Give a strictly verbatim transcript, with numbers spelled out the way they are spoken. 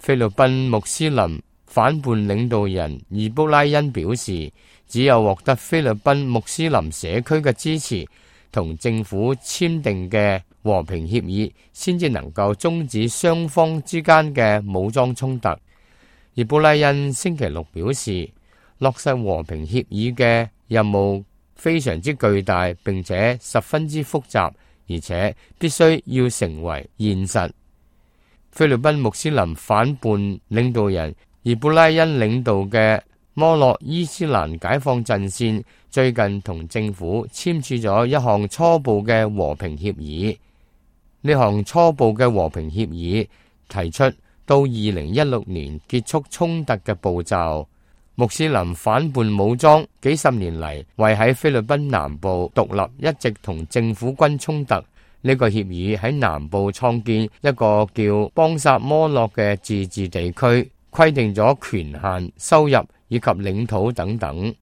菲律賓穆斯林反叛領導人易卜拉欣表示，只有獲得菲律賓穆斯林社區嘅支持，同政府簽訂嘅和平協議，先至能夠終止雙方之間嘅武裝衝突。易卜拉欣星期六表示，落實和平協議嘅任務非常之巨大，並且十分之複雜，而且必須要成為現實。菲律賓穆斯林反叛領導人易卜拉欣領導嘅摩洛伊斯蘭解放陣線最近同政府簽署咗一項初步嘅和平協議。呢項初步嘅和平協議提出到二零一六年結束衝突嘅步驟。穆斯林反叛武裝幾十年嚟為喺菲律賓南部獨立一直同政府軍衝突。呢個協議喺南部創建一個叫邦薩摩洛嘅自治地區，規定咗權限、收入以及領土等等。